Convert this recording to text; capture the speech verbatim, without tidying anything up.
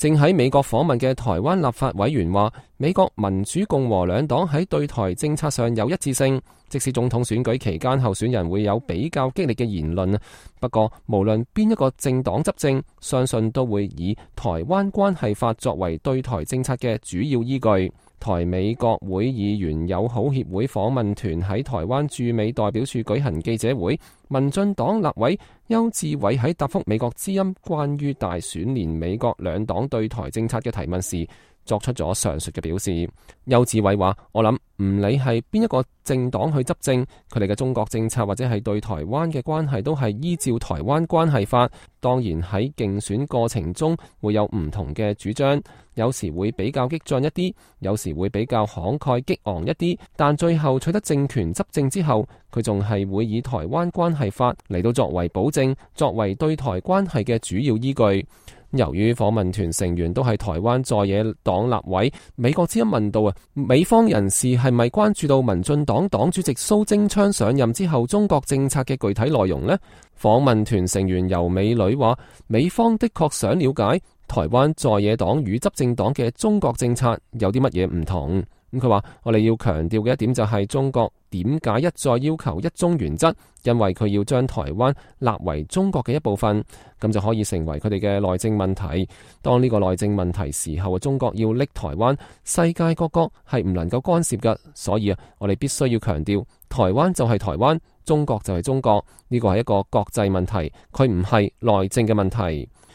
正喺美國訪問嘅台灣立法委員話，美國民主共和兩黨喺對台政策上有一致性，即使總統選舉期間候選人會有比較激烈嘅言論，不過無論邊一個政黨執政，相信都會以台灣關係法作為對台政策嘅主要依據。台美國會議員友好協會訪問團喺台灣駐美代表處舉行記者會，民進黨立委邱志偉喺答覆美國之音關於大選年美國兩黨對台政策嘅提問時，作出咗上述嘅表示。邱志偉話：我諗唔理係邊一個政黨去執政，佢哋嘅中國政策或者係對台灣嘅關係都係依照台灣關係法。當然喺競選過程中會有唔同嘅主張，有時會比較激進一啲，有時會比較慷慨激昂一啲，但最後取得政權執政之後，佢仲係會以台灣關係法嚟到作為保證，作為對台關係嘅主要依據。由於訪問團成員都係台灣在野黨立委，美國之音問到啊，美方人士係咪關注到民進黨黨主席蘇貞昌上任之後中國政策嘅具體內容呢？訪問團成員游美女話，美方的確想了解台灣在野黨與執政黨嘅中國政策有啲乜嘢唔同。咁佢話：我哋要強調嘅一點就係中國點解一再要求一中原則，因為佢要將台灣立為中國嘅一部分，咁就可以成為佢哋嘅內政問題。當呢個內政問題時候，中國要拎台灣，世界各國係唔能夠干涉㗎。所以啊，我哋必須要強調，台灣就係台灣，中國就係中國，呢個係一個國際問題，佢唔係內政嘅問題。